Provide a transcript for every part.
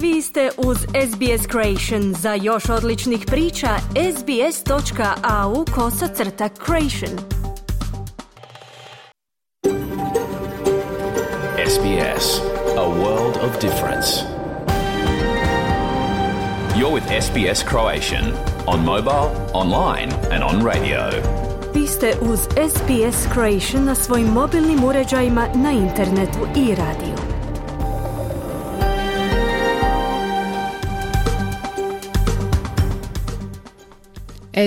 Vi ste uz SBS Creation. Za još odličnih priča, sbs.au/creation. SBS, a world of difference. You're with SBS Croatian on mobile, online and on radio. Vi ste uz SBS Creation na svojim mobilnim uređajima, na internetu i radiju.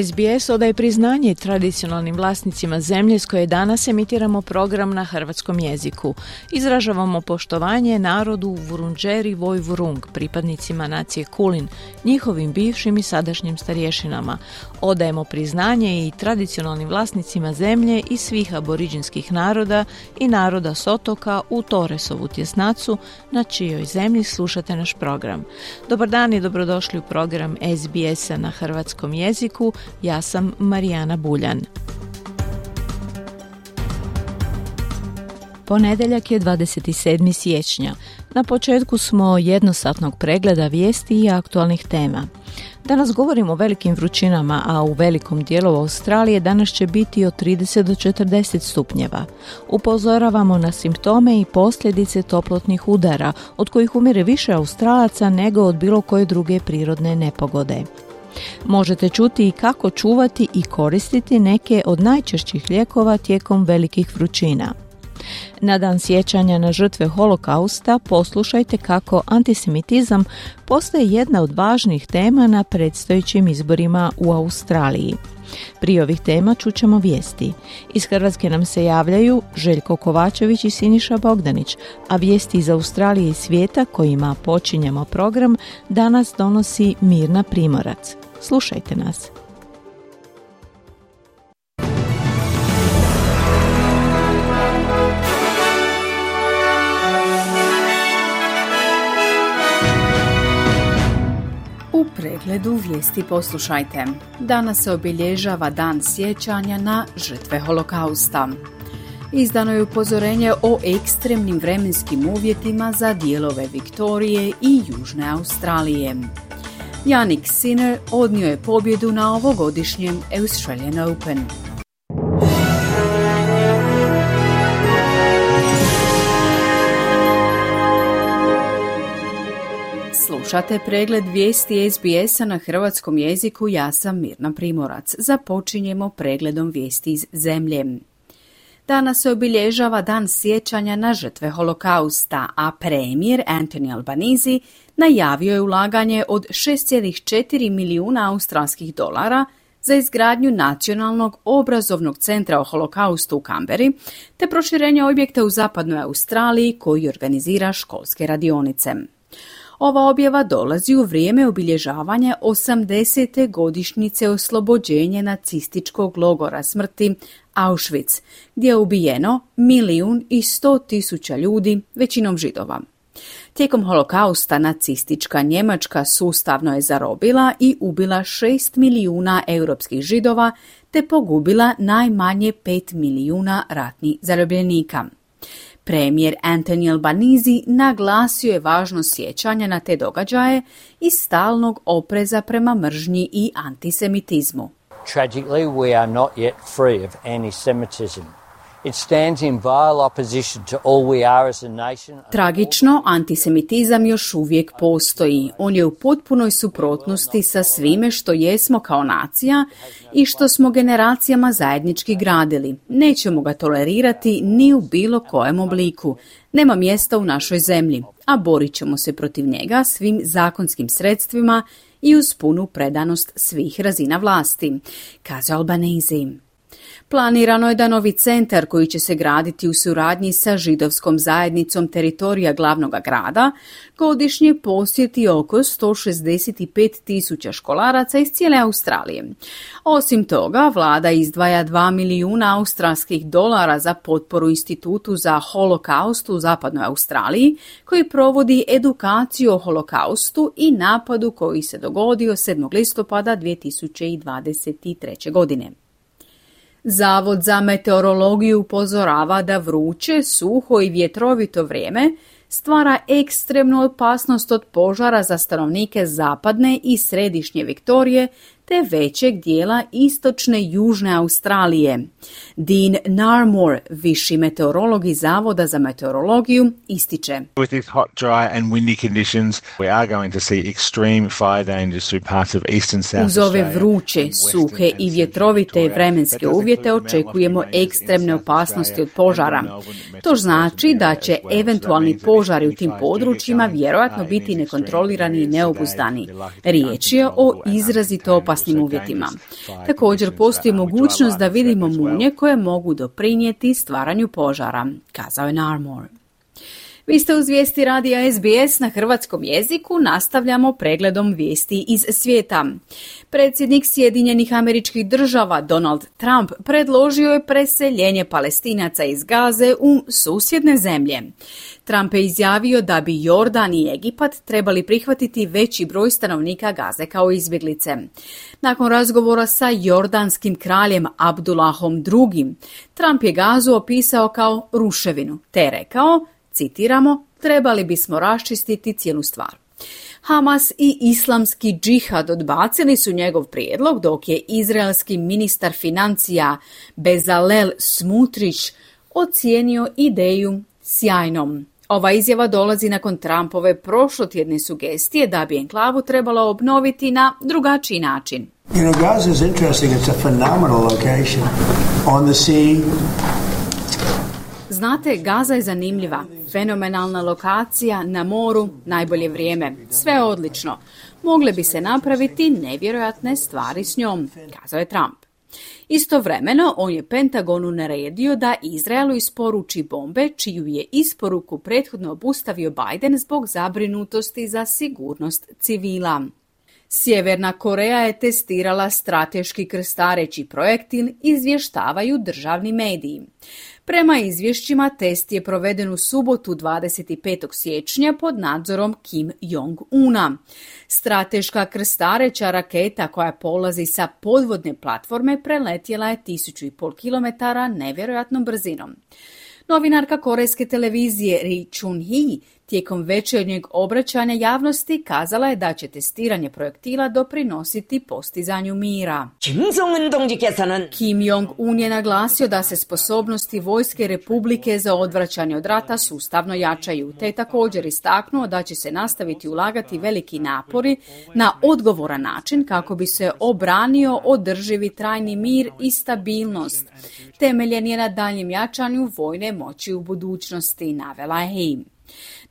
SBS odaje priznanje tradicionalnim vlasnicima zemlje s koje danas emitiramo program na hrvatskom jeziku. Izražavamo poštovanje narodu Vurundjeri Woi-wurrung, pripadnicima nacije Kulin, njihovim bivšim i sadašnjim starješinama. Odajemo priznanje i tradicionalnim vlasnicima zemlje i svih aboriđinskih naroda i naroda s otoka u Torresovu tjesnacu, na čijoj zemlji slušate naš program. Dobar dan i dobrodošli u program SBS-a na hrvatskom jeziku. Ja sam Marijana Buljan. Ponedjeljak je 27. siječnja. Na početku smo jednosatnog pregleda vijesti i aktualnih tema. Danas govorimo o velikim vrućinama, a u velikom dijelu Australije danas će biti od 30 do 40 stupnjeva. Upozoravamo na simptome i posljedice toplotnih udara, od kojih umire više Australaca nego od bilo koje druge prirodne nepogode. Možete čuti i kako čuvati i koristiti neke od najčešćih lijekova tijekom velikih vrućina. Na dan sjećanja na žrtve holokausta poslušajte kako antisemitizam postaje jedna od važnih tema na predstojećim izborima u Australiji. Prije ovih tema čućemo vijesti. Iz Hrvatske nam se javljaju Željko Kovačević i Siniša Bogdanić, a vijesti iz Australije i svijeta kojima počinjemo program danas donosi Mirna Primorac. Slušajte nas. U pregledu vijesti poslušajte. Danas se obilježava dan sjećanja na žrtve holokausta. Izdano je upozorenje o ekstremnim vremenskim uvjetima za dijelove Viktorije i Južne Australije. Jannik Sinner odnio je pobjedu na ovogodišnjem Australian Open. Slušate pregled vijesti SBS-a na hrvatskom jeziku. Ja sam Mirna Primorac. Započinjemo pregledom vijesti iz zemlje. Danas se obilježava dan sjećanja na žrtve holokausta, a premijer Anthony Albanese najavio je ulaganje od 6,4 milijuna australskih dolara za izgradnju nacionalnog obrazovnog centra o holokaustu u Canberri, te proširenje objekta u zapadnoj Australiji koji organizira školske radionice. Ova objava dolazi u vrijeme obilježavanja 80. godišnjice oslobođenja nacističkog logora smrti Auschwitz, gdje je ubijeno 1.100.000 ljudi, većinom Židova. Tijekom holokausta nacistička Njemačka sustavno je zarobila i ubila 6 milijuna europskih Židova, te pogubila najmanje 5 milijuna ratnih zarobljenika. Premijer Anthony Albanese naglasio je važnost sjećanja na te događaje i stalnog opreza prema mržnji i antisemitizmu. Tragically, we are not yet free of anti-Semitism. It stands in vile opposition to all we are as a nation. Tragično, antisemitizam još uvijek postoji. On je u potpunoj suprotnosti sa svime što jesmo kao nacija i što smo generacijama zajednički gradili. Nećemo ga tolerirati ni u bilo kojem obliku. Nema mjesta u našoj zemlji, a borit ćemo se protiv njega svim zakonskim sredstvima i uz punu predanost svih razina vlasti, kaže Albanese. Planirano je da novi centar koji će se graditi u suradnji sa židovskom zajednicom teritorija glavnog grada godišnje posjeti oko 165.000 školaraca iz cijele Australije. Osim toga, vlada izdvaja 2 milijuna australskih dolara za potporu Institutu za holokaust u zapadnoj Australiji, koji provodi edukaciju o holokaustu i napadu koji se dogodio 7. listopada 2023. godine. Zavod za meteorologiju upozorava da vruće, suho i vjetrovito vrijeme stvara ekstremnu opasnost od požara za stanovnike zapadne i središnje Viktorije te većeg dijela istočne i južne Australije. Dean Narmore, viši meteorolog iz Zavoda za meteorologiju, ističe: With these hot, dry and windy conditions, we are going to see extreme fire dangers through parts of eastern South Uz ove Australia. vruće, suhe i vjetrovite vremenske uvjete očekujemo ekstremne opasnosti od požara. To znači da će eventualni požari u tim područjima vjerojatno biti nekontrolirani i neobuzdani. Riječ je o izrazito opasnim uvjetima. Također postoji mogućnost da vidimo munje koje mogu doprinijeti stvaranju požara, kazao je Narmore. Vi ste uz vijesti radija SBS na hrvatskom jeziku, nastavljamo pregledom vijesti iz svijeta. Predsjednik Sjedinjenih Američkih Država Donald Trump predložio je preseljenje Palestinaca iz Gaze u susjedne zemlje. Trump je izjavio da bi Jordan i Egipat trebali prihvatiti veći broj stanovnika Gaze kao izbjeglice. Nakon razgovora sa jordanskim kraljem Abdullahom II, Trump je Gazu opisao kao ruševinu, te rekao, citiramo, trebali bismo raščistiti cijelu stvar. Hamas i islamski džihad odbacili su njegov prijedlog, dok je izraelski ministar financija Bezalel Smotrich ocijenio ideju sjajnom. Ova izjava dolazi nakon Trumpove prošlotjedne sugestije da bi enklavu trebalo obnoviti na drugačiji način. You know, Gaza is interesting. It's a phenomenal location on the sea. Znate, Gaza je zanimljiva, fenomenalna lokacija, na moru, najbolje vrijeme, sve je odlično. Mogle bi se napraviti nevjerojatne stvari s njom, kazao je Trump. Istovremeno, on je Pentagonu naredio da Izraelu isporuči bombe, čiju je isporuku prethodno obustavio Biden zbog zabrinutosti za sigurnost civila. Sjeverna Koreja je testirala strateški krstareći projektil, izvještavaju državni mediji. Prema izvješćima, test je proveden u subotu 25. siječnja pod nadzorom Kim Jong-una. Strateška krstareća raketa koja polazi sa podvodne platforme preletjela je 1500 km nevjerojatnom brzinom. Novinarka korejske televizije Ri Chun-hee tijekom večernjeg obraćanja javnosti kazala je da će testiranje projektila doprinositi postizanju mira. Kim Jong-un je naglasio da se sposobnosti Vojske Republike za odvraćanje od rata sustavno jačaju, te je također istaknuo da će se nastaviti ulagati veliki napori na odgovoran način kako bi se obranio održivi trajni mir i stabilnost. Temeljen je na daljnjem jačanju vojne moći u budućnosti, navela je.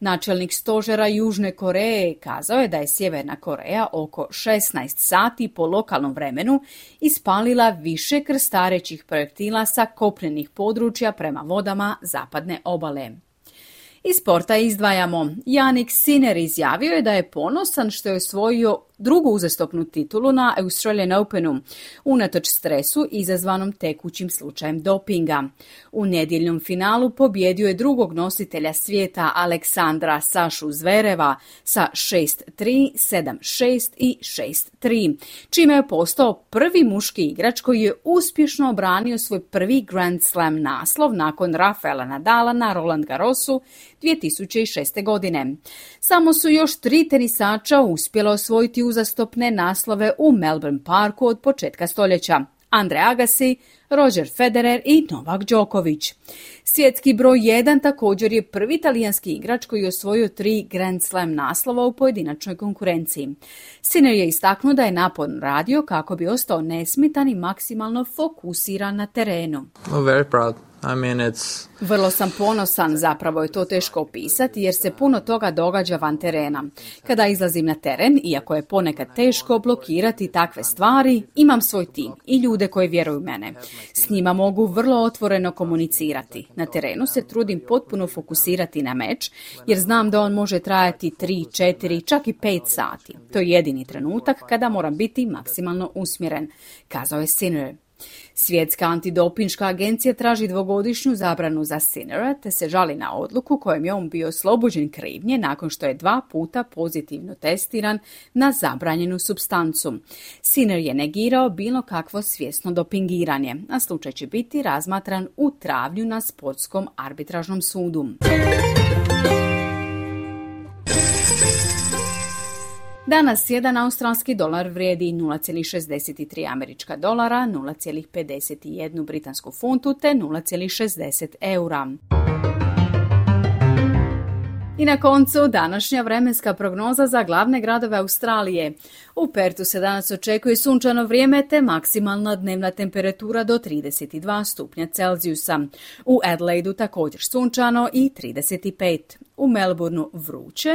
Načelnik stožera Južne Koreje kazao je da je Sjeverna Koreja oko 16 sati po lokalnom vremenu ispalila više krstarećih projektila sa kopnenih područja prema vodama zapadne obale. Iz sporta izdvajamo. Jannik Sinner izjavio je da je ponosan što je osvojio drugu uzastopnu titulu na Australian Openu, unatoč stresu izazvanom tekućim slučajem dopinga. U nedjeljnom finalu pobjedio je drugog nositelja svijeta Aleksandra Sašu Zvereva sa 6-3, 7-6 i 6-3, čime je postao prvi muški igrač koji je uspješno obranio svoj prvi Grand Slam naslov nakon Rafaela Nadala na Roland Garrosu 2006. godine. Samo su još 3 tenisača uspjela osvojiti uzastopne naslove u Melbourne Parku od početka stoljeća: Andre Agassi, Roger Federer i Novak Đoković. Svjetski broj 1 također je prvi talijanski igrač koji je osvojio 3 Grand Slam naslova u pojedinačnoj konkurenciji. Sinner je istaknuo da je naporno radio kako bi ostao nesmetan i maksimalno fokusiran na terenu. Very proud. Vrlo sam ponosan, zapravo je to teško opisati jer se puno toga događa van terena. Kada izlazim na teren, iako je ponekad teško blokirati takve stvari, imam svoj tim i ljude koji vjeruju u mene. S njima mogu vrlo otvoreno komunicirati. Na terenu se trudim potpuno fokusirati na meč jer znam da on može trajati 3, 4, čak i 5 sati. To je jedini trenutak kada moram biti maksimalno usmjeren, kazao je Sinner. Svjetska antidopinška agencija traži 2-godišnju zabranu za Sinnera te se žali na odluku kojom je on bio oslobođen krivnje nakon što je 2 puta pozitivno testiran na zabranjenu supstancu. Sinner je negirao bilo kakvo svjesno dopingiranje, a slučaj će biti razmatran u travnju na sportskom arbitražnom sudu. Danas jedan australski dolar vrijedi 0,63 američka dolara, 0,51 britansku funtu te 0,60 eura. I na koncu današnja vremenska prognoza za glavne gradove Australije. U Pertu se danas očekuje sunčano vrijeme te maksimalna dnevna temperatura do 32 stupnja Celzijusa. U Adelaidu također sunčano i 35. U Melbourneu vruće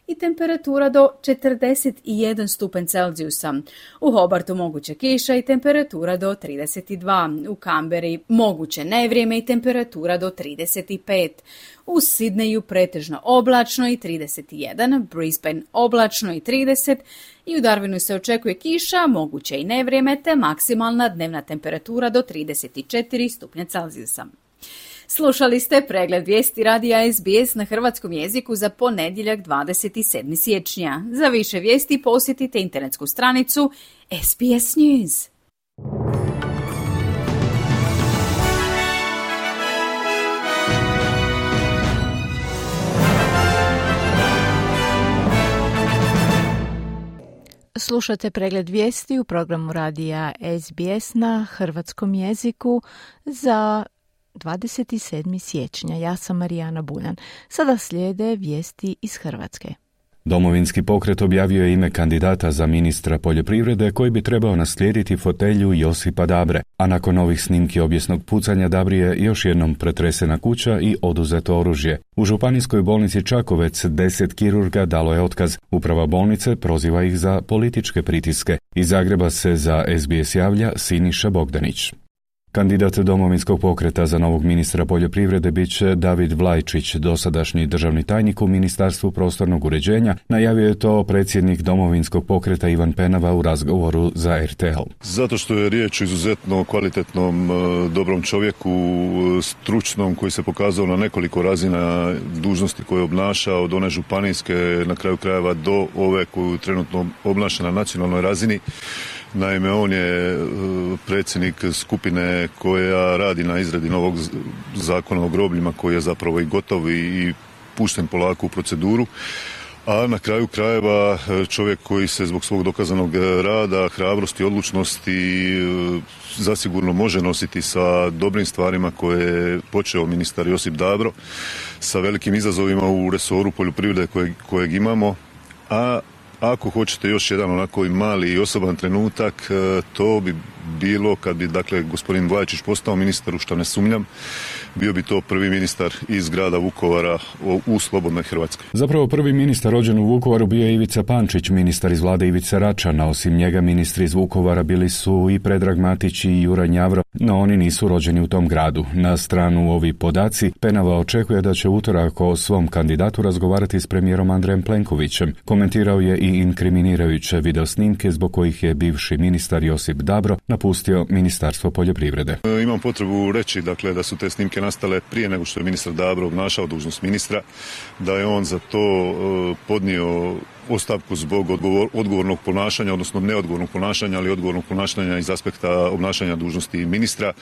i temperatura do 41 stupanj Celzijusa. U Hobartu moguće kiša i temperatura do 32. U Canberri moguće nevrijeme i temperatura do 35. U Sidneju pretežno oblačno i 31, Brisbane oblačno i 30 i u Darwinu se očekuje kiša, moguće i nevrijeme te maksimalna dnevna temperatura do 34 stupnja Celzijusa. Slušali ste pregled vijesti radija SBS na hrvatskom jeziku za ponedjeljak 27. siječnja. Za više vijesti posjetite internetsku stranicu SBS News. Slušate pregled vijesti u programu radija SBS na hrvatskom jeziku za 27. siječnja. Ja sam Marijana Buljan. Sada slijede vijesti iz Hrvatske. Domovinski pokret objavio je ime kandidata za ministra poljoprivrede koji bi trebao naslijediti fotelju Josipa Dabre, a nakon ovih snimki obijesnog pucanja Dabri je još jednom pretresena kuća i oduzeto oružje. U županijskoj bolnici Čakovec 10 kirurga dalo je otkaz. Uprava bolnice proziva ih za političke pritiske. Iz Zagreba se za SBS javlja Siniša Bogdanić. Kandidat Domovinskog pokreta za novog ministra poljoprivrede bit će David Vlajčić, dosadašnji državni tajnik u Ministarstvu prostornog uređenja. Najavio je to predsjednik Domovinskog pokreta Ivan Penava u razgovoru za RTL. Zato što je riječ o izuzetno kvalitetnom, dobrom čovjeku, stručnom, koji se pokazao na nekoliko razina dužnosti koje je obnašao, od one županijske, na kraju krajeva do ove koju trenutno obnaša na nacionalnoj razini. Naime, on je predsjednik skupine koja radi na izradi novog zakona o grobljima koji je zapravo i gotov i pušten polako u proceduru. A na kraju krajeva čovjek koji se zbog svog dokazanog rada, hrabrosti, odlučnosti zasigurno može nositi sa dobrim stvarima koje je počeo ministar Josip Dabro, sa velikim izazovima u resoru poljoprivrede kojeg imamo, a ako hoćete još jedan onako i mali i osoban trenutak, to bi bilo kad bi, dakle, gospodin Vlajčić postao ministar, u što ne sumnjam, bio bi to prvi ministar iz grada Vukovara u slobodnoj Hrvatskoj. Zapravo prvi ministar rođen u Vukovaru bio je Ivica Pančić, ministar iz vlade Ivice Račana. Osim njega ministri iz Vukovara bili su i Predrag Matić i Juraj Njavro, no oni nisu rođeni u tom gradu. Na stranu ovi podaci, Penava očekuje da će utorak o svom kandidatu razgovarati s premijerom Andrejem Plenkovićem. Komentirao je i inkriminirajuće videosnimke zbog kojih je bivši ministar Josip Dabro napustio Ministarstvo poljoprivrede. Imam potrebu reći, dakle, da su te snimke nastale prije nego što je ministar Dabro obnašao dužnost ministra, da je on za to podnio ostavku zbog odgovornog ponašanja, odnosno neodgovornog ponašanja, ali odgovornog ponašanja iz aspekta obnašanja dužnosti ministra,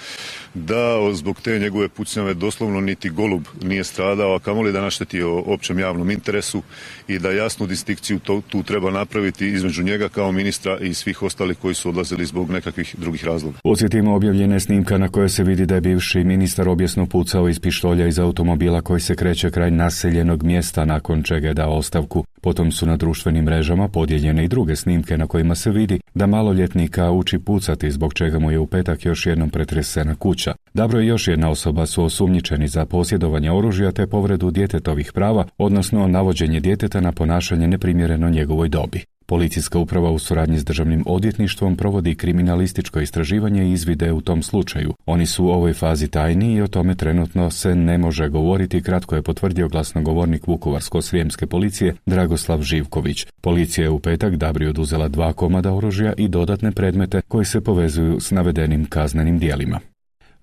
da zbog te njegove pucnjave doslovno niti golub nije stradao, a kamoli da naštetio općem javnom interesu, i da jasnu distinkciju tu treba napraviti između njega kao ministra i svih ostalih koji su odlazili zbog nekakvih drugih razloga. Podsjetimo, objavljena je snimka na kojoj se vidi da je bivši ministar obijesno pucao iz pištolja iz automobila koji se kreće kraj naseljenog mjesta, nakon čega je dao ostavku. Potom su na društvenim mrežama podijeljene i druge snimke na kojima se vidi da maloljetnika uči pucati, zbog čega mu je u petak još jednom pretresena kuća. Dabro i još jedna osoba su osumnjičeni za posjedovanje oružja te povredu djetetovih prava, odnosno navođenje djeteta na ponašanje neprimjereno njegovoj dobi. Policijska uprava u suradnji s državnim odvjetništvom provodi kriminalističko istraživanje i izvide u tom slučaju. Oni su u ovoj fazi tajni i o tome trenutno se ne može govoriti, kratko je potvrdio glasnogovornik Vukovarsko-srijemske policije Dragoslav Živković. Policija je u petak Dabri oduzela 2 komada oružja i dodatne predmete koji se povezuju s navedenim kaznenim djelima.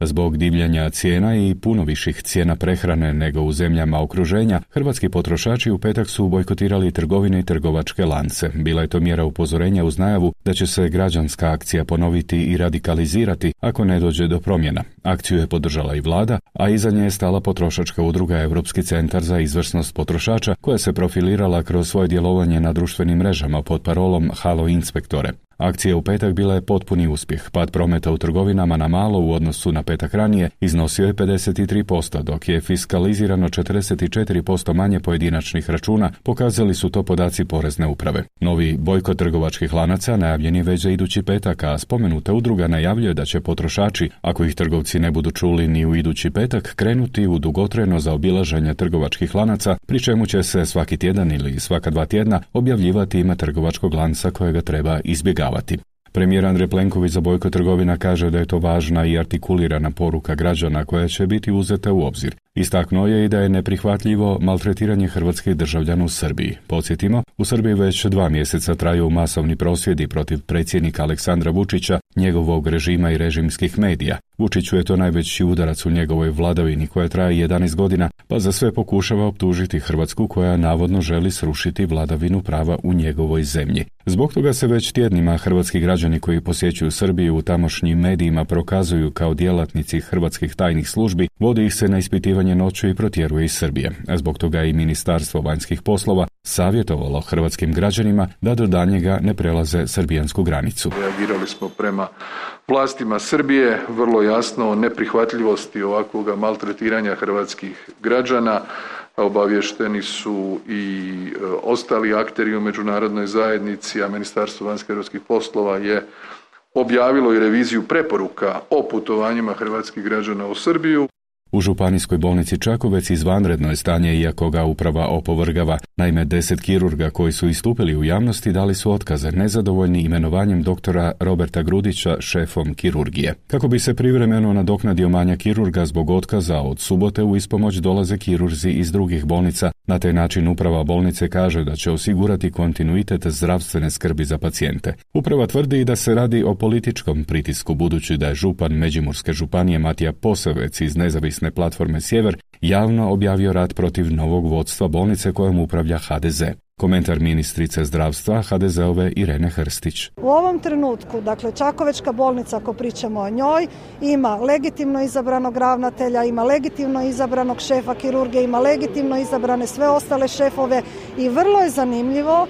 Zbog divljanja cijena i puno viših cijena prehrane nego u zemljama okruženja, hrvatski potrošači u petak su bojkotirali trgovine i trgovačke lance. Bila je to mjera upozorenja uz najavu da će se građanska akcija ponoviti i radikalizirati ako ne dođe do promjena. Akciju je podržala i vlada, a iza nje je stala potrošačka udruga Europski centar za izvrsnost potrošača, koja se profilirala kroz svoje djelovanje na društvenim mrežama pod parolom Halo inspektore. Akcija u petak bila je potpuni uspjeh. Pad prometa u trgovinama na malo u odnosu na petak ranije iznosio je 53%, dok je fiskalizirano 44% manje pojedinačnih računa, pokazali su to podaci Porezne uprave. Novi bojkot trgovačkih lanaca najavljen je već za idući petak, a spomenuta udruga najavljuje da će potrošači, ako ih trgovci ne budu čuli ni u idući petak, krenuti u dugotrajno zaobilaženje trgovačkih lanaca, pri čemu će se svaki tjedan ili svaka 2 tjedna objavljivati ime trgovačkog lanca kojega treba izbjegavati. Premijer Andrej Plenković za bojkot trgovina kaže da je to važna i artikulirana poruka građana koja će biti uzeta u obzir. Istaknuo je i da je neprihvatljivo maltretiranje hrvatskih državljana u Srbiji. Podsjetimo, u Srbiji već 2 mjeseca traju masovni prosvjedi protiv predsjednika Aleksandra Vučića, njegovog režima i režimskih medija. Vučiću je to najveći udarac u njegovoj vladavini koja traje 11 godina, pa za sve pokušava optužiti Hrvatsku koja navodno želi srušiti vladavinu prava u njegovoj zemlji. Zbog toga se već tjednima hrvatski građani koji posjećuju Srbiju u tamošnjim medijima prokazuju kao djelatnici hrvatskih tajnih službi, vodi ih se na ispitivanje noću i protjeruje iz Srbije. Zbog toga i Ministarstvo vanjskih poslova savjetovalo hrvatskim građanima da do daljnjega ne prelaze srbijansku granicu. Reagirali smo prema vlastima Srbije vrlo jasno o neprihvatljivosti ovakvoga maltretiranja hrvatskih građana. Obavješteni su i ostali akteri u međunarodnoj zajednici, a Ministarstvo vanjskih europskih poslova je objavilo i reviziju preporuka o putovanjima hrvatskih građana u Srbiju. U Županijskoj bolnici Čakovec izvanredno je stanje, iako ga uprava opovrgava. Naime, 10 kirurga koji su istupili u javnosti dali su otkaze, nezadovoljni imenovanjem doktora Roberta Grudića šefom kirurgije. Kako bi se privremeno nadoknadio manjak kirurga zbog otkaza, od subote u ispomoć dolaze kirurzi iz drugih bolnica. Na taj način uprava bolnice kaže da će osigurati kontinuitet zdravstvene skrbi za pacijente. Uprava tvrdi da se radi o političkom pritisku, budući da je župan Međimurske županije Matija Posavec iz nezavisne platforme Sjever javno objavio rat protiv novog vodstva bolnice kojom upravlja HDZ. Komentar ministrice zdravstva HDZ-ove Irene Hrstić. U ovom trenutku, dakle, Čakovečka bolnica, ako pričamo o njoj, ima legitimno izabranog ravnatelja, ima legitimno izabranog šefa kirurgije, ima legitimno izabrane sve ostale šefove i vrlo je zanimljivo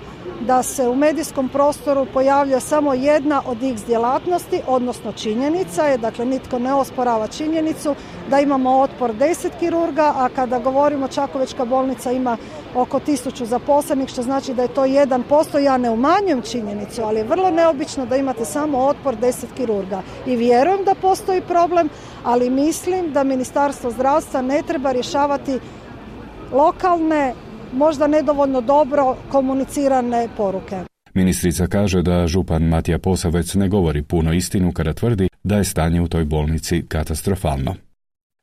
da se u medijskom prostoru pojavlja samo jedna od X djelatnosti, odnosno činjenica je, dakle nitko ne osporava činjenicu da imamo otpor 10 kirurga, a kada govorimo Čakovečka bolnica ima oko 1000 zaposlenih, što znači da je to 1%. Ja ne umanjujem činjenicu, ali je vrlo neobično da imate samo otpor 10 kirurga. I vjerujem da postoji problem, ali mislim da Ministarstvo zdravstva ne treba rješavati lokalne, možda nedovoljno dobro komunicirane poruke. Ministrica kaže da župan Matija Posavec ne govori puno istinu kada tvrdi da je stanje u toj bolnici katastrofalno.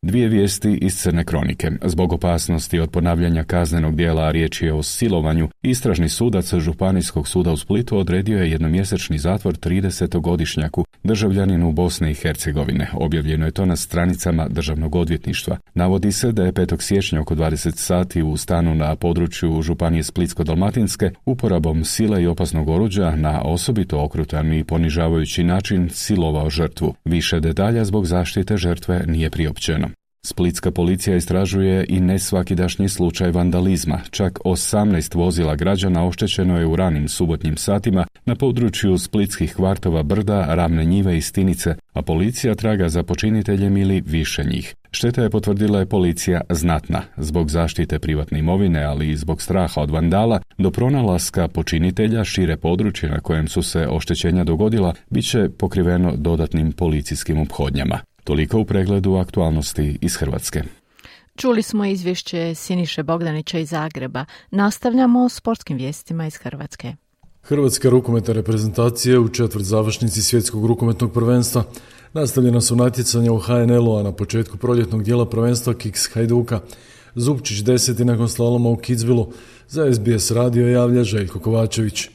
2 vijesti iz Crne kronike. Zbog opasnosti od ponavljanja kaznenog djela, a riječ je o silovanju, istražni sudac Županijskog suda u Splitu odredio je jednomjesečni zatvor 30-godišnjaku, državljaninu Bosne i Hercegovine. Objavljeno je to na stranicama Državnog odvjetništva. Navodi se da je 5. siječnja oko 20 sati u stanu na području Županije Splitsko-dalmatinske uporabom sile i opasnog oruđa na osobito okrutan i ponižavajući način silovao žrtvu. Više detalja zbog zaštite žrtve nije priopćeno. Splitska policija istražuje i nesvakidašnji slučaj vandalizma. Čak 18 vozila građana oštećeno je u ranim subotnjim satima na području splitskih kvartova Brda, Ravne njive i Stinice, a policija traga za počiniteljem ili više njih. Šteta je, potvrdila je policija, znatna. Zbog zaštite privatne imovine, ali i zbog straha od vandala, do pronalaska počinitelja šire područje na kojem su se oštećenja dogodila bit će pokriveno dodatnim policijskim ophodnjama. Toliko u pregledu aktualnosti iz Hrvatske. Čuli smo izvješće Siniše Bogdanića iz Zagreba. Nastavljamo s sportskim vijestima iz Hrvatske. Hrvatska rukometna reprezentacija u četvrtzavršnici svjetskog rukometnog prvenstva. Nastavljena su natjecanja u HNL-u, a na početku proljetnog dijela prvenstva Kiks Hajduka. Zupčić 10. nakon slaloma u Kitzbühelu. Za SBS radio javlja Željko Kovačević.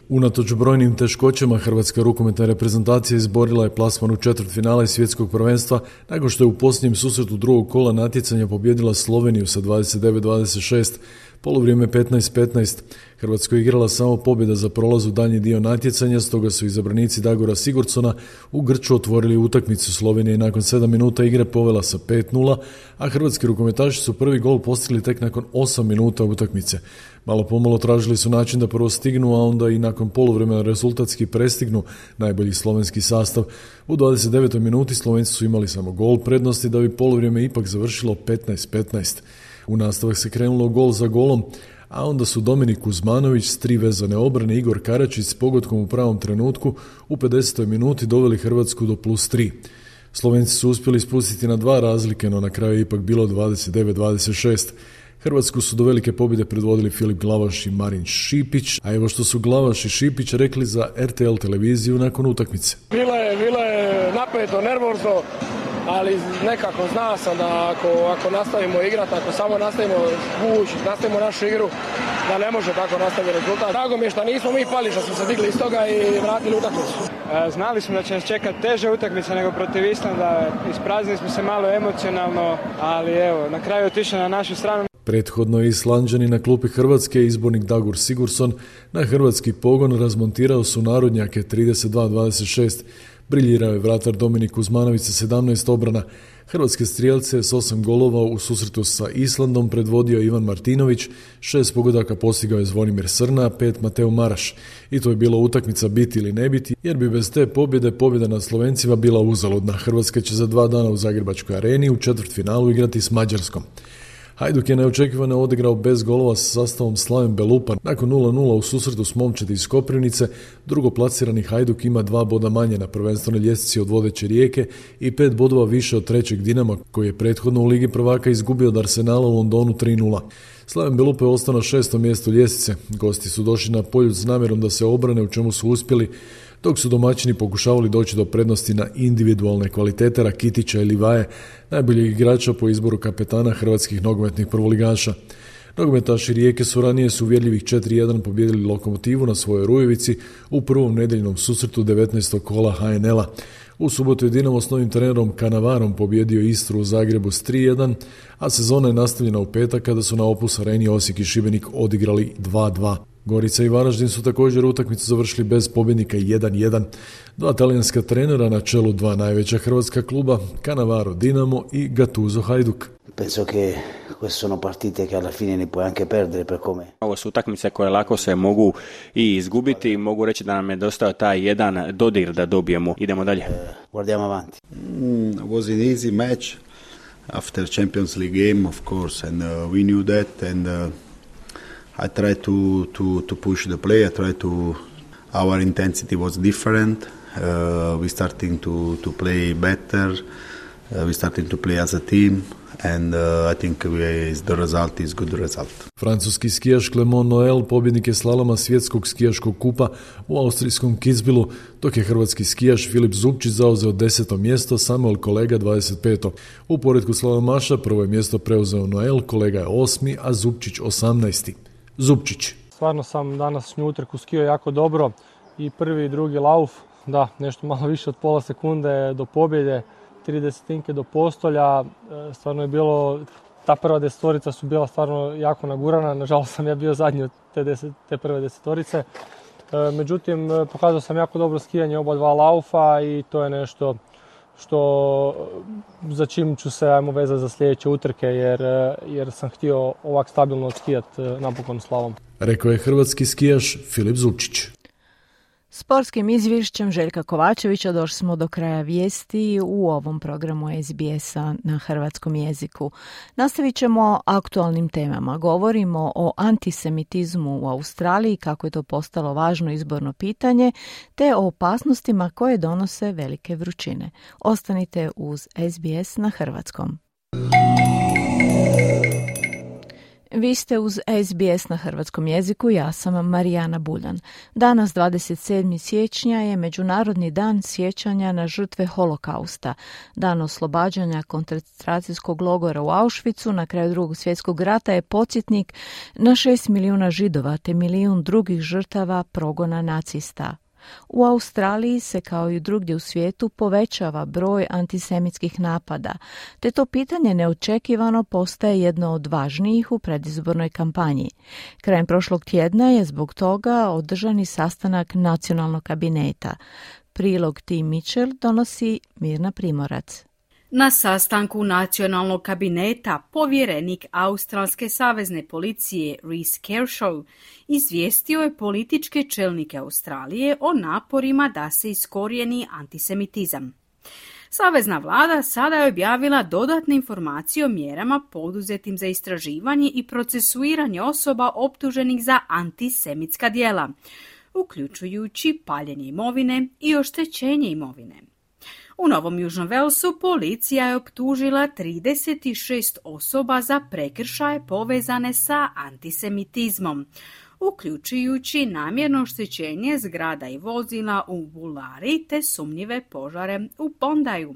Unatoč brojnim teškoćama, hrvatska rukometna reprezentacija izborila je plasman u četvrtfinale svjetskog prvenstva nakon što je u posljednjem susretu drugog kola natjecanja pobijedila Sloveniju sa 29-26, polovrijeme 15-15. Hrvatska je igrala samo pobjeda za prolaz u daljnji dio natjecanja, stoga su izabranici Dagora Sigurdsona u grču otvorili utakmicu. Slovenija je nakon 7 minuta igre povela sa 5-0, a hrvatski rukometaši su prvi gol postigli tek nakon 8 minuta utakmice. Malo pomalo tražili su način da prvo stignu, a onda i nakon poluvremena rezultatski prestignu najbolji slovenski sastav. U 29. minuti Slovenci su imali samo gol prednosti, da bi poluvrijeme ipak završilo 15-15. U nastavak se krenulo gol za golom, a onda su Dominik Kuzmanović s 3 vezane obrane, Igor Karačić s pogodkom u pravom trenutku u 50. minuti doveli Hrvatsku do +3. Slovenci su uspjeli spustiti na 2 razlike, no na kraju je ipak bilo 29-26. Hrvatsku su do velike pobjede predvodili Filip Glavaš i Marin Šipić, a evo što su Glavaš i Šipić rekli za RTL televiziju nakon utakmice. Bilo je napeto, nervozno, ali nekako znao sam da ako nastavimo igrati, ako samo nastavimo vući, nastavimo našu igru, da ne može tako nastaviti rezultat. Drago mi je što nismo mi pali, što smo se digli iz toga i vratili utakmicu. Znali smo da će nas čekati teže utakmice nego protiv Islanda, ispraznili smo se malo emocionalno, ali evo, na kraju otišli na našu stranu. Prethodno je Islanđani na klupi Hrvatske izbornik Dagur Sigurdsson na hrvatski pogon razmontirao su narodnjake 32-26. Briljirao je vratar Dominik Kuzmanović sa 17 obrana. Hrvatske strijelce s 8 golova u susretu sa Islandom predvodio Ivan Martinović, 6 pogodaka postigao je Zvonimir Srna, 5 Mateo Maraš. I to je bila utakmica biti ili ne biti, jer bi bez te pobjeda nad Slovencima bila uzaludna. Hrvatska će za 2 dana u Zagrebačkoj areni u četvrtfinalu igrati s Mađarskom. Hajduk je neočekivano odigrao bez golova sa sastavom Slaven Belupa. Nakon 0-0 u susretu s Momčadi iz Koprivnice, drugoplasirani Hajduk ima 2 boda manje na prvenstvenoj ljestvici od vodeće Rijeke i 5 bodova više od trećeg Dinama, koji je prethodno u Ligi prvaka izgubio od Arsenala u Londonu 3-0. Slaven Belupa je ostao na 6. mjestu ljestvice. Gosti su došli na Poljud s namjerom da se obrane, u čemu su uspjeli, dok su domaćini pokušavali doći do prednosti na individualne kvalitete Rakitića i Livaje, najboljeg igrača po izboru kapetana hrvatskih nogometnih prvoligaša. Nogometaši Rijeke su ranije s uvjerljivih 4-1 pobijedili Lokomotivu na svojoj Rujevici u prvom nedjeljnom susretu 19. kola HNL-a. U subotu je Dinamo s novim trenerom Kanavarom pobjedio Istru u Zagrebu s 3-1, a sezona je nastavljena u petak kada su na Opus areni Osijek i Šibenik odigrali 2-2. Gorica i Varaždin su također utakmicu završili bez pobjednika 1-1. 2 talijanska trenera na čelu 2 najveća hrvatska kluba, Cannavaro Dinamo i Gattuso Hajduk. Penso che queste sono partite che alla fine ne puoi anche perdere per come. Ovo su utakmice koje lako se mogu i izgubiti, mogu reći da nam je dostao taj jedan dodir da dobijemo. Idemo dalje. Guardiamo avanti. It was an easy match after Champions League game, of course, and we knew that, and I tried to push the play. I tried to. Our intensity was different. We starting to play better. We starting to play as a team. And I think the result is good result. Francuski skijaš Clement Noël pobjednik je slaloma svjetskog skijaškog kupa u austrijskom Kitzbühelu, dok je hrvatski skijaš Filip Zubčić zauzeo 10. mjesto, Samuel Kolega 25. U poretku slalomaša prvo je mjesto preuzeo Noël, Kolega je 8., a Zubčić 18. Zubčić. Stvarno sam današnju utrku skijao jako dobro i prvi i drugi lauf, da, nešto malo više od pola sekunde do pobjede, 30 do postolja, stvarno je bilo, ta prva desetorica su bila stvarno jako nagurana, nažalost sam ja bio zadnji od te prve desetorice, međutim pokazao sam jako dobro skijanje oba 2 laufa i to je nešto za čim ću se vezati za sljedeće utrke jer sam htio ovak stabilno skijati napokon slalom. Rekao je hrvatski skijaš Filip Zubčić. Sportskim izvješćem Željka Kovačevića došli smo do kraja vijesti u ovom programu SBS-a na hrvatskom jeziku. Nastavit ćemo aktualnim temama. Govorimo o antisemitizmu u Australiji, kako je to postalo važno izborno pitanje, te o opasnostima koje donose velike vrućine. Ostanite uz SBS na hrvatskom. Vi ste uz SBS na hrvatskom jeziku, ja sam Marijana Buljan. Danas, 27. siječnja, je Međunarodni dan sjećanja na žrtve holokausta, dan oslobađanja koncentracijskog logora u Auschwitzu na kraju Drugog svjetskog rata je podsjetnik na 6 milijuna Židova te milijun drugih žrtava progona nacista. U Australiji se, kao i drugdje u svijetu, povećava broj antisemitskih napada, te to pitanje neočekivano postaje jedno od važnijih u predizbornoj kampanji. Krajem prošlog tjedna je zbog toga održani sastanak nacionalnog kabineta. Prilog Tim Mitchell donosi Mirna Primorac. Na sastanku nacionalnog kabineta povjerenik Australske savezne policije Rhys Kershaw izvijestio je političke čelnike Australije o naporima da se iskorijeni antisemitizam. Savezna vlada sada je objavila dodatne informacije o mjerama poduzetim za istraživanje i procesuiranje osoba optuženih za antisemitska djela, uključujući paljenje imovine i oštećenje imovine. U Novom Južnom Velsu policija je optužila 36 osoba za prekršaje povezane sa antisemitizmom, uključujući namjerno oštećenje zgrada i vozila u Bulari te sumnjive požare u Bondaju.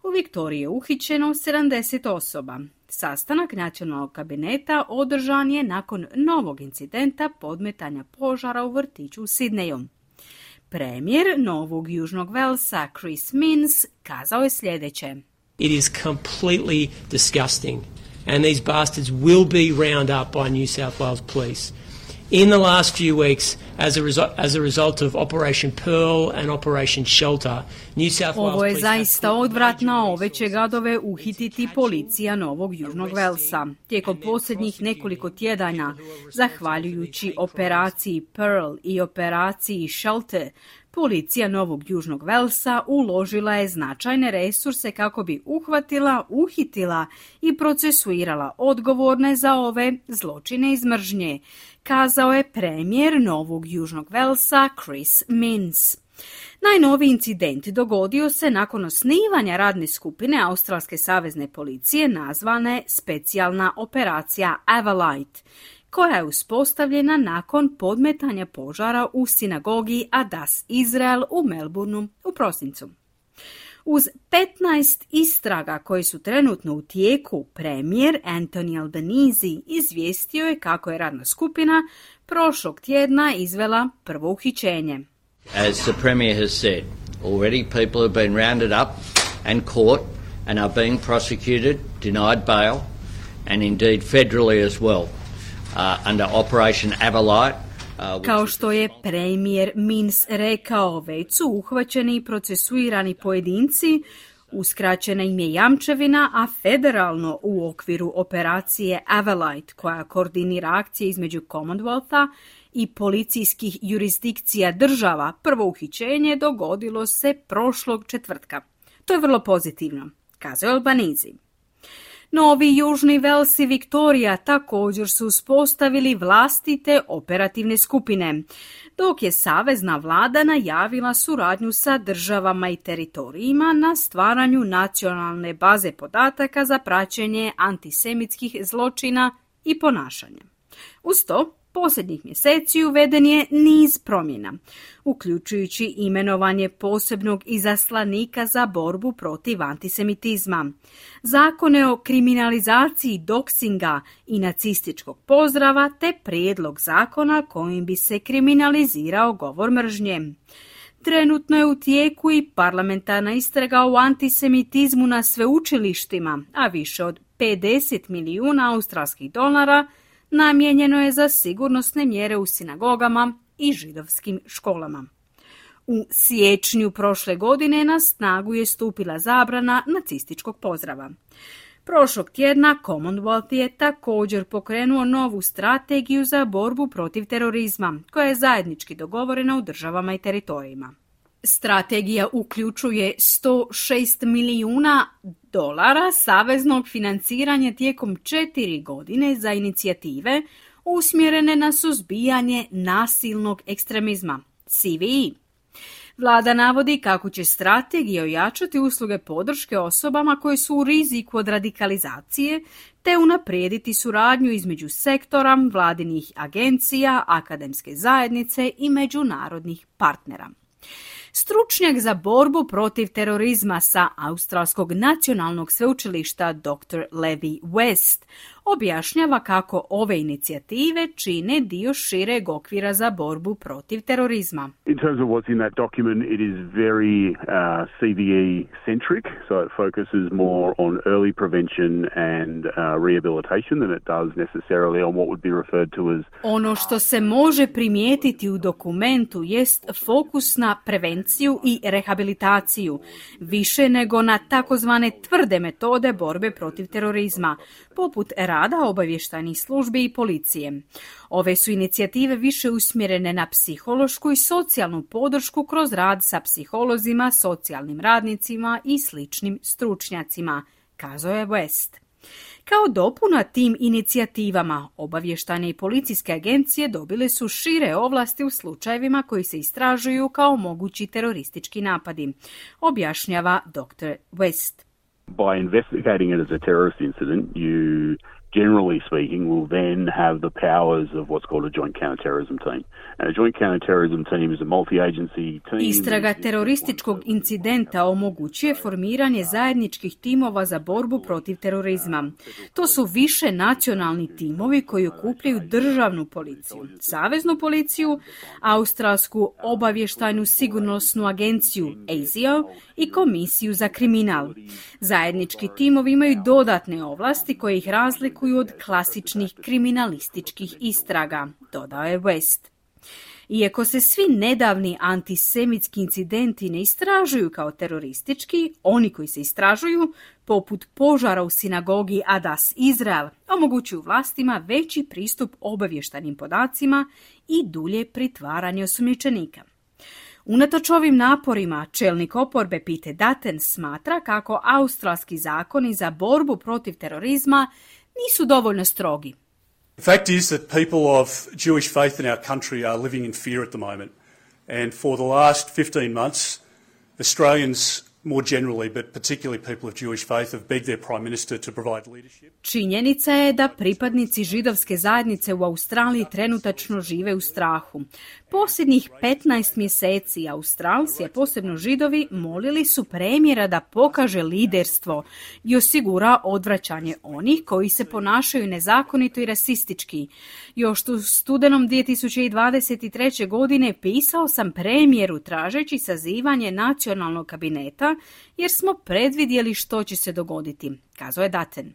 U Viktoriji je uhićeno 70 osoba. Sastanak nacionalnog kabineta održan je nakon novog incidenta podmetanja požara u vrtiću u Sidneju. Premijer Novog Južnog Velsa Chris Minns kazao je sljedeće. It is completely disgusting and these bastards will be round up by New South Wales Police. In the last few weeks, as a result of Operation Pearl and Operation Shelter, New South Wales Ovo je Police zaista odvratno, ove će gadove uhititi policija Novog Južnog Velsa. Tijekom posljednjih nekoliko tjedana, zahvaljujući operaciji Pearl i operaciji Shelter, policija Novog Južnog Velsa uložila je značajne resurse kako bi uhvatila, uhitila i procesuirala odgovorne za ove zločine iz mržnje, kazao je premijer Novog Južnog Velsa Chris Minns. Najnoviji incident dogodio se nakon osnivanja radne skupine Australske savezne policije nazvane Specijalna operacija Avalite, koja je uspostavljena nakon podmetanja požara u sinagogi Adas Izrael u Melbourneu u prosincu. Uz 15 istraga koje su trenutno u tijeku, premijer Anthony Albanese izvijestio je kako je radna skupina prošlog tjedna izvela prvo uhićenje. As the Premier has said, already people have been rounded up and caught and are being prosecuted, denied bail, and indeed federally as well, under Operation Avalite. Kao što je premijer Minns rekao, već su uhvaćeni i procesuirani pojedinci, uskraćena im je jamčevina, a federalno u okviru operacije Avalite, koja koordinira akcije između Commonwealtha i policijskih jurisdikcija država, prvo uhićenje dogodilo se prošlog četvrtka. To je vrlo pozitivno, kazao Albanese. Novi Južni Vels i Viktorija također su uspostavili vlastite operativne skupine, dok je savezna vlada najavila suradnju sa državama i teritorijima na stvaranju nacionalne baze podataka za praćenje antisemitskih zločina i ponašanja. Uz to, posljednjih mjeseci uveden je niz promjena, uključujući imenovanje posebnog izaslanika za borbu protiv antisemitizma, zakone o kriminalizaciji doksinga i nacističkog pozdrava te prijedlog zakona kojim bi se kriminalizirao govor mržnje. Trenutno je u tijeku i parlamentarna istraga o antisemitizmu na sveučilištima, a više od 50 milijuna australskih dolara namijenjeno je za sigurnosne mjere u sinagogama i židovskim školama. U siječnju prošle godine na snagu je stupila zabrana nacističkog pozdrava. Prošlog tjedna Commonwealth je također pokrenuo novu strategiju za borbu protiv terorizma, koja je zajednički dogovorena u državama i teritorijima. Strategija uključuje $106 milijuna saveznog financiranja tijekom 4 godine za inicijative usmjerene na suzbijanje nasilnog ekstremizma, CVE. Vlada navodi kako će strategija ojačati usluge podrške osobama koje su u riziku od radikalizacije, te unaprijediti suradnju između sektora, vladinih agencija, akademske zajednice i međunarodnih partnera. Stručnjak za borbu protiv terorizma sa Australskog nacionalnog sveučilišta Dr. Levi West objašnjava kako ove inicijative čine dio šireg okvira za borbu protiv terorizma. In terms of what's in that document, it is very CVE-centric, so it focuses more on early prevention and rehabilitation than it does necessarily on what would be referred to as... Ono što se može primijetiti u dokumentu jest fokus na prevenciju i rehabilitaciju, više nego na takozvane tvrde metode borbe protiv terorizma, poput rada obavještajnih službi i policije. Ove su inicijative više usmjerene na psihološku i socijalnu podršku kroz rad sa psiholozima, socijalnim radnicima i sličnim stručnjacima, kazao je West. Kao dopuna tim inicijativama, obavještajne i policijske agencije dobile su šire ovlasti u slučajevima koji se istražuju kao mogući teroristički napadi, objašnjava Dr. West. By investigating it as a terrorist incident, you generally speaking will then have the powers of what's called a joint counterterrorism team. And a joint counterterrorism team is a multi-agency team. Istraga terorističkog incidenta omogućuje formiranje zajedničkih timova za borbu protiv terorizma. To su više nacionalni timovi koji okupljaju državnu policiju, saveznu policiju, Australsku obavještajnu sigurnosnu agenciju ASIO i komisiju za kriminal. Zajednički timovi imaju dodatne ovlasti koje ih razlikuju od klasičnih kriminalističkih istraga, dodao je West. Iako se svi nedavni antisemitski incidenti ne istražuju kao teroristički, oni koji se istražuju, poput požara u sinagogi Adas Izrael, omogućuju vlastima veći pristup obavještajnim podacima i dulje pritvaranje osumnjičenika. Unatoč ovim naporima, čelnik oporbe Pete Dutton smatra kako australski zakoni za borbu protiv terorizma nisu dovoljno strogi. The fact is that people of Jewish faith in our country are living in fear at the moment. And for the last 15 months, Australians more generally, but particularly people of Jewish faith, have begged their Prime Minister to provide leadership. Činjenica je da pripadnici židovske zajednice u Australiji trenutačno žive u strahu. Posljednjih 15 mjeseci Australci, a posebno židovi, molili su premijera da pokaže liderstvo i osigura odvraćanje onih koji se ponašaju nezakonito i rasistički. Još u studenom 2023. godine pisao sam premijeru tražeći sazivanje nacionalnog kabineta jer smo predvidjeli što će se dogoditi, kazao je Dutton.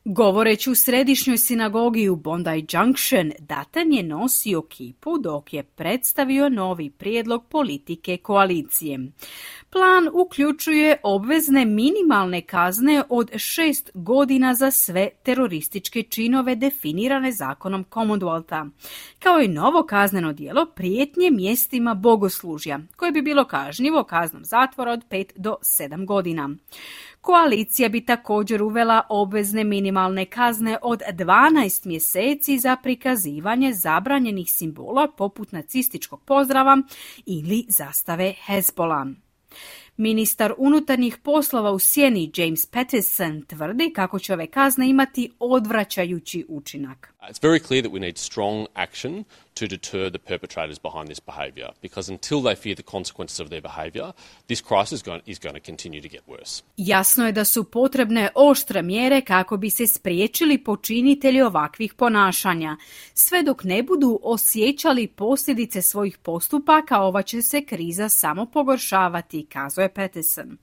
Govoreći u središnjoj sinagogi u Bondi Junction, Dutton je nosio kipu dok je predstavio novi prijedlog politike koalicije. Plan uključuje obvezne minimalne kazne od 6 godina za sve terorističke činove definirane zakonom Commonwealtha, kao i novo kazneno djelo prijetnje mjestima bogoslužja, koje bi bilo kažnjivo kaznom zatvora od 5 do 7 godina. Koalicija bi također uvela obvezne minimalne kazne od 12 mjeseci za prikazivanje zabranjenih simbola poput nacističkog pozdrava ili zastave Hezbollah. Ministar unutarnjih poslova u sjeni James Paterson tvrdi kako će ove kazne imati odvraćajući učinak. It's very clear that we need strong action to deter the perpetrators behind this behaviour, because until they fear the consequences of their behaviour, this crisis is going to continue to get worse. Jasno je da su potrebne oštre mjere kako bi se spriječili počinitelji ovakvih ponašanja. Sve dok ne budu osjećali posljedice svojih postupaka, ova će se kriza samo pogoršavati, kazao je Patterson.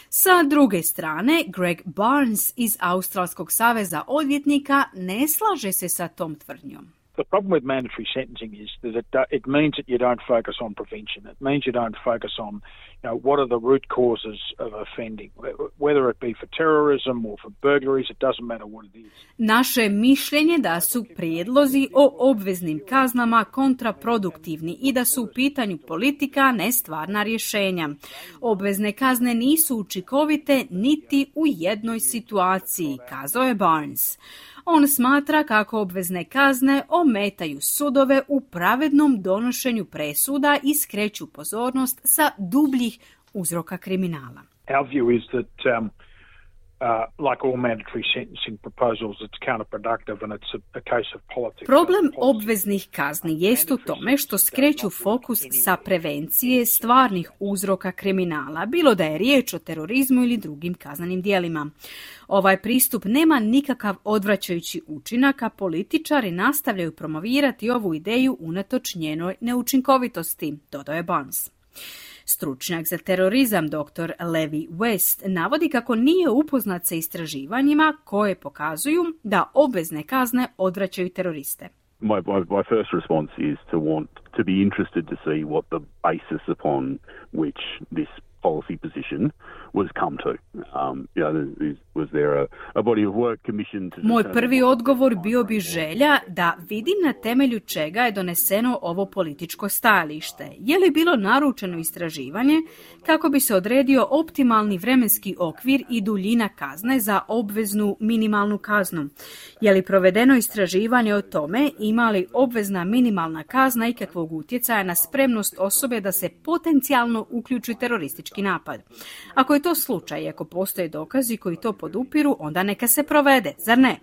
Sa druge strane, Greg Barnes iz Australskog saveza odvjetnika ne slaže se sa tom tvrdnjom. The problem with mandatory sentencing is that it means that you don't focus on prevention. It means you don't focus on, what are the root causes of offending, whether it be for terrorism or for burglaries, it doesn't matter what it is. Naše mišljenje da su prijedlozi o obveznim kaznama kontraproduktivni i da su u pitanju politika, ne stvarna rješenja. Obvezne kazne nisu učinkovite niti u jednoj situaciji, kazao je Barnes. On smatra kako obvezne kazne ometaju sudove u pravednom donošenju presuda i skreću pozornost sa dubljih uzroka kriminala. Our view is that like all mandatory sentencing proposals, it's counterproductive and it's a case of politics. Problem obveznih kazni jest u tome što skreću fokus sa prevencije stvarnih uzroka kriminala, bilo da je riječ o terorizmu ili drugim kaznenim djelima. Ovaj pristup nema nikakav odvraćajući učinak, a političari nastavljaju promovirati ovu ideju unatoč njenoj neučinkovitosti, dodao je Barnes. Stručnjak za terorizam dr. Levi West navodi kako nije upoznat sa istraživanjima koje pokazuju da obvezne kazne odvraćaju teroriste. My first response is to be interested to see what the basis upon which this policy position was come to. Was there a body of work commissioned to... Moj prvi odgovor bio bi želja da vidim na temelju čega je doneseno ovo političko stajalište. Je li bilo naručeno istraživanje kako bi se odredio optimalni vremenski okvir i duljina kazne za obveznu minimalnu kaznu? Je li provedeno istraživanje o tome ima li obvezna minimalna kazna ikakvog utjecaja na spremnost osobe da se potencijalno uključi u teroristički napad? Ako je to slučaj, ako postoje dokazi koji to podupiru, onda neka se provede, zar ne?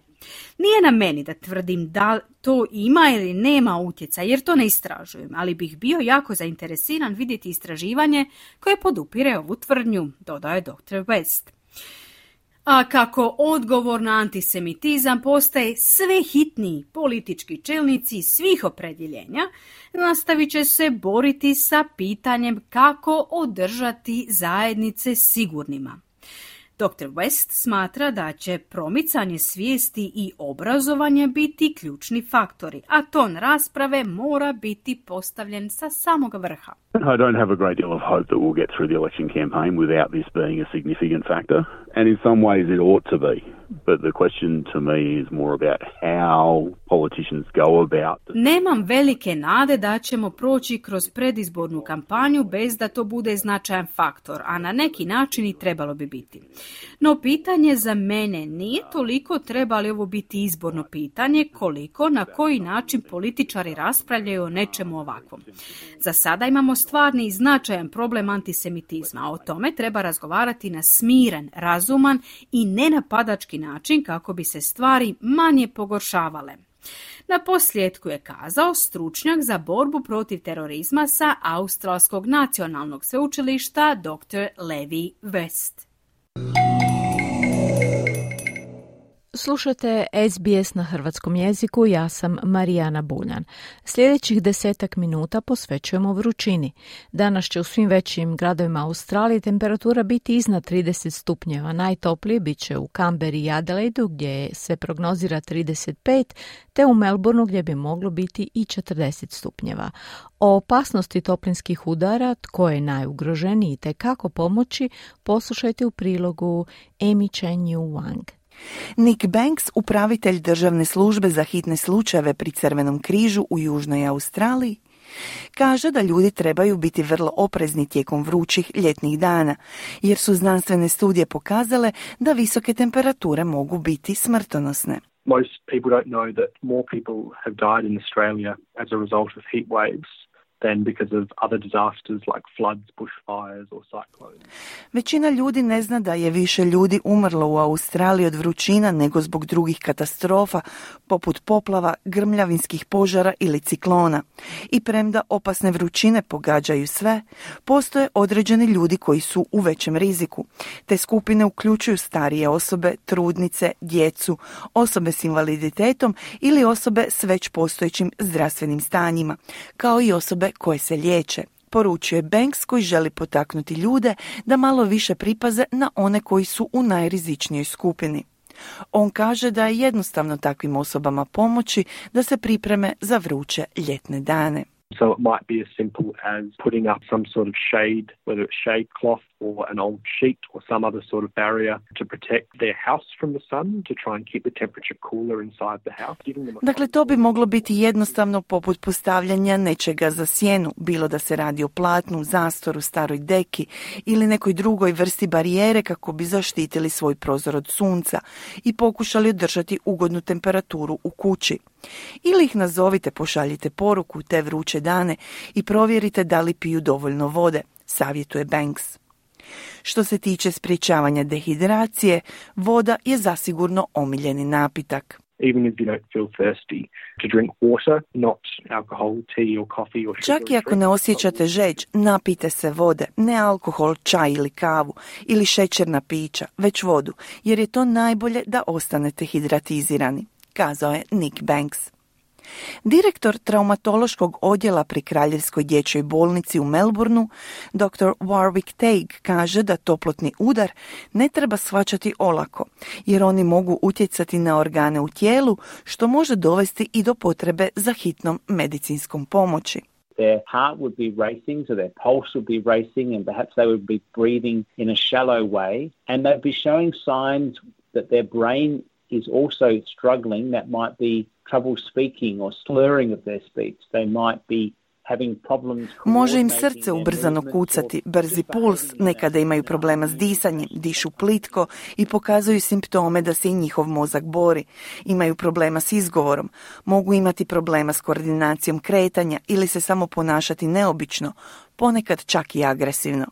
Nije na meni da tvrdim da to ima ili nema utjecaj, jer to ne istražujem, ali bih bio jako zainteresiran vidjeti istraživanje koje podupire ovu tvrdnju, dodao je dr. West. A kako odgovor na antisemitizam postaje sve hitniji, politički čelnici svih opredjeljenja nastavit će se boriti sa pitanjem kako održati zajednice sigurnima. Dr. West smatra da će promicanje svijesti i obrazovanje biti ključni faktori, a ton rasprave mora biti postavljen sa samog vrha. I don't have a great deal of hope that we'll get through the election campaign without this being a significant factor, and in some ways it ought to be. But the question to me is more about how politicians go about it. Nemam velike nade da ćemo proći kroz predizbornu kampanju bez da to bude značajan faktor, a na neki način i trebalo bi biti. No pitanje za mene nije toliko treba li ovo biti izborno pitanje, koliko na koji način političari raspravljaju o nečemu ovakvom. Za sada imamo stvarni i značajan problem antisemitizma, a o tome treba razgovarati na smiren, razuman i nenapadački način kako bi se stvari manje pogoršavale. Na posljedku je kazao stručnjak za borbu protiv terorizma sa Australskog nacionalnog sveučilišta dr. Levi West. Slušate SBS na hrvatskom jeziku, ja sam Marijana Buljan. Sljedećih 10 minuta posvećujemo vrućini. Danas će u svim većim gradovima Australije temperatura biti iznad 30 stupnjeva. Najtoplije bit će u Canberri i Adelaidu gdje se prognozira 35, te u Melbourneu gdje bi moglo biti i 40 stupnjeva. O opasnosti toplinskih udara, tko je najugroženiji te kako pomoći, poslušajte u prilogu Amy Chen-Yu Wang. Nick Banks, upravitelj državne službe za hitne slučajeve pri Crvenom križu u Južnoj Australiji, kaže da ljudi trebaju biti vrlo oprezni tijekom vrućih ljetnih dana, jer su znanstvene studije pokazale da visoke temperature mogu biti smrtonosne. Most people don't know that more people have died in Australia as a result of heat waves than because of other disasters like floods, bushfires or cyclones. Većina ljudi ne zna da je više ljudi umrlo u Australiji od vrućina nego zbog drugih katastrofa, poput poplava, grmljavinskih požara ili ciklona. I premda opasne vrućine pogađaju sve, postoje određeni ljudi koji su u većem riziku. Te skupine uključuju starije osobe, trudnice, djecu, osobe s invaliditetom ili osobe s već postojećim zdravstvenim stanjima, kao i osobe koje se liječe, poručuje Banks koji želi potaknuti ljude da malo više pripaze na one koji su u najrizičnijoj skupini. On kaže da je jednostavno takvim osobama pomoći da se pripreme za vruće ljetne dane. So it might be as simple as putting up some sort of shade, whether it's shade cloth or an old sheet or some other sort of barrier to protect their house from the sun, to try and keep the temperature cooler inside the house. Dakle, to bi moglo biti jednostavno poput postavljanja nečega za sjenu, bilo da se radi o platnu, zastoru, staroj deki ili nekoj drugoj vrsti barijere kako bi zaštitili svoj prozor od sunca i pokušali održati ugodnu temperaturu u kući. Ili ih nazovite, pošaljite poruku u te vruće dane i provjerite da li piju dovoljno vode, savjetuje Banks. Što se tiče sprječavanja dehidracije, voda je zasigurno omiljeni napitak. Even if you don't feel thirsty, to drink water, not alcohol, tea or coffee or sugar. Čak i ako ne osjećate žeđ, napijte se vode, ne alkohol, čaj ili kavu ili šećerna pića, već vodu, jer je to najbolje da ostanete hidratizirani, kazao je Nick Banks. Direktor traumatološkog odjela pri Kraljevskoj dječjoj bolnici u Melbourneu, dr. Warwick Teague, kaže da toplotni udar ne treba shvaćati olako, jer oni mogu utjecati na organe u tijelu, što može dovesti i do potrebe za hitnom medicinskom pomoći. Their heart would be racing, so their pulse would be racing, and perhaps they would be breathing in a shallow way, and they'd be showing signs that their brain is also struggling. That might be trouble speaking or slurring of their speech. They might be having problems. Može im srce ubrzano kucati, brzi puls, nekada imaju problema s disanjem, dišu plitko i pokazuju simptome da se i njihov mozak bori. Imaju problema s izgovorom, mogu imati problema s koordinacijom kretanja ili se samo ponašati neobično, ponekad čak i agresivno.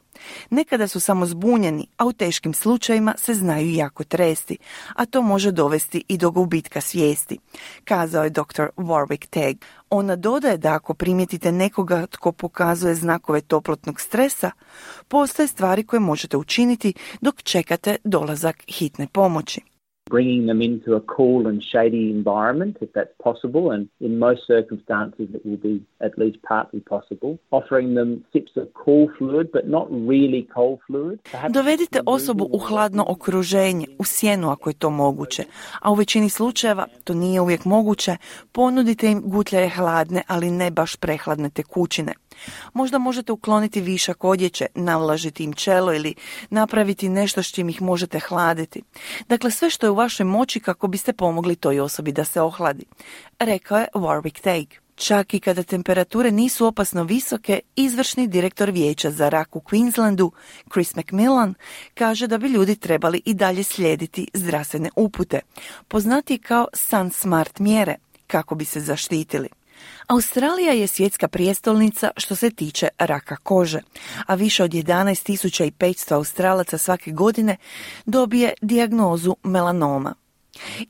Nekada su samo zbunjeni, a u teškim slučajevima se znaju jako tresti, a to može dovesti i do gubitka svijesti, kazao je dr. Warwick Teague. Ona dodaje da ako primijetite nekoga tko pokazuje znakove toplotnog stresa, postoje stvari koje možete učiniti dok čekate dolazak hitne pomoći. Bringing them into a cool and shady environment, if that's possible, and in most circumstances it will be at least partly possible. Offering them sips of cool fluid, but not really cold fluid. Dovedite osobu u hladno okruženje, u sjenu ako je to moguće, a u većini slučajeva to nije uvijek moguće, ponudite im gutljaje hladne, ali ne baš prehladne tekućine. Možda možete ukloniti višak odjeće, navlažiti im čelo ili napraviti nešto s čim ih možete hladiti. Dakle, sve što je u vašoj moći kako biste pomogli toj osobi da se ohladi, rekao je Warwick Teague. Čak i kada temperature nisu opasno visoke, izvršni direktor vijeća za rak u Queenslandu, Chris McMillan, kaže da bi ljudi trebali i dalje slijediti zdravstvene upute, poznatije kao Sun Smart mjere, kako bi se zaštitili. Australija je svjetska prijestolnica što se tiče raka kože, a više od 11.500 Australaca svake godine dobije dijagnozu melanoma.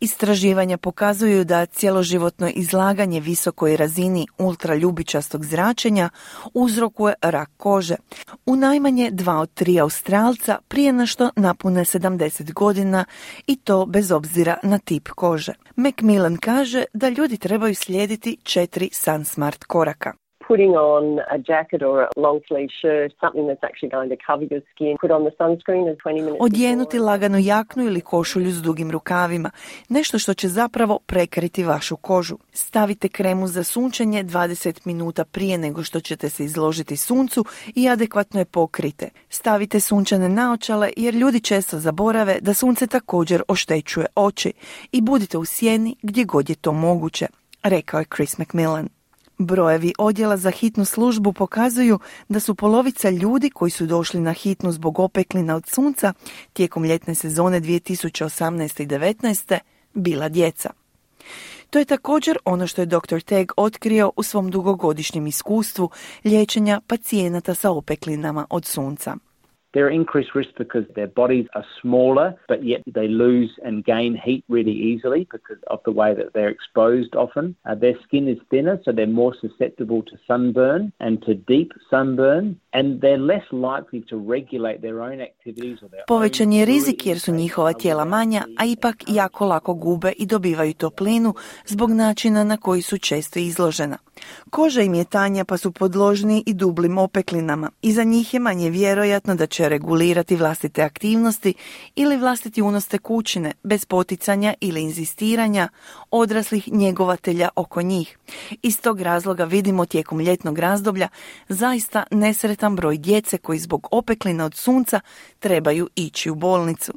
Istraživanja pokazuju da cjeloživotno izlaganje visokoj razini ultraljubičastog zračenja uzrokuje rak kože u najmanje 2 od 3 Australca prije na što napune 70 godina i to bez obzira na tip kože. Macmillan kaže da ljudi trebaju slijediti 4 Sun Smart koraka. Putting on a jacket or a long sleeve shirt, something that's actually going to cover your skin. Put on the sunscreen as 20 minutes. Odjenuti laganu jaknu ili košulju s dugim rukavima, nešto što će zapravo prekriti vašu kožu. Stavite kremu za sunčanje 20 minuta prije nego što ćete se izložiti suncu i adekvatno je pokrite. Stavite sunčane naočale jer ljudi često zaborave da sunce također oštećuje oči i budite u sjeni gdje god je to moguće, rekao je Chris McMillan. Brojevi odjela za hitnu službu pokazuju da su polovica ljudi koji su došli na hitnu zbog opeklina od sunca tijekom ljetne sezone 2018. i 2019. bila djeca. To je također ono što je dr. Teague otkrio u svom dugogodišnjem iskustvu liječenja pacijenata sa opeklinama od sunca. They're increased risk because their bodies are smaller, but yet they lose and gain heat really easily because of the way that they're exposed often. Their skin is thinner, so they're more susceptible to sunburn and to deep sunburn, and they're less likely to regulate their own activities or their Povećan je rizik jer su njihova tijela manja, a ipak jako lako gube i dobivaju toplinu zbog načina na koji su često izložena. Koža im je tanja pa su podložni i dublim opeklinama i za njih je manje vjerojatno da će regulirati vlastite aktivnosti ili vlastiti unos tekućine bez poticanja ili inzistiranja odraslih njegovatelja oko njih. Iz tog razloga vidimo tijekom ljetnog razdoblja zaista nesretan dostatan broj djece koji zbog opekline od sunca trebaju ići u bolnicu.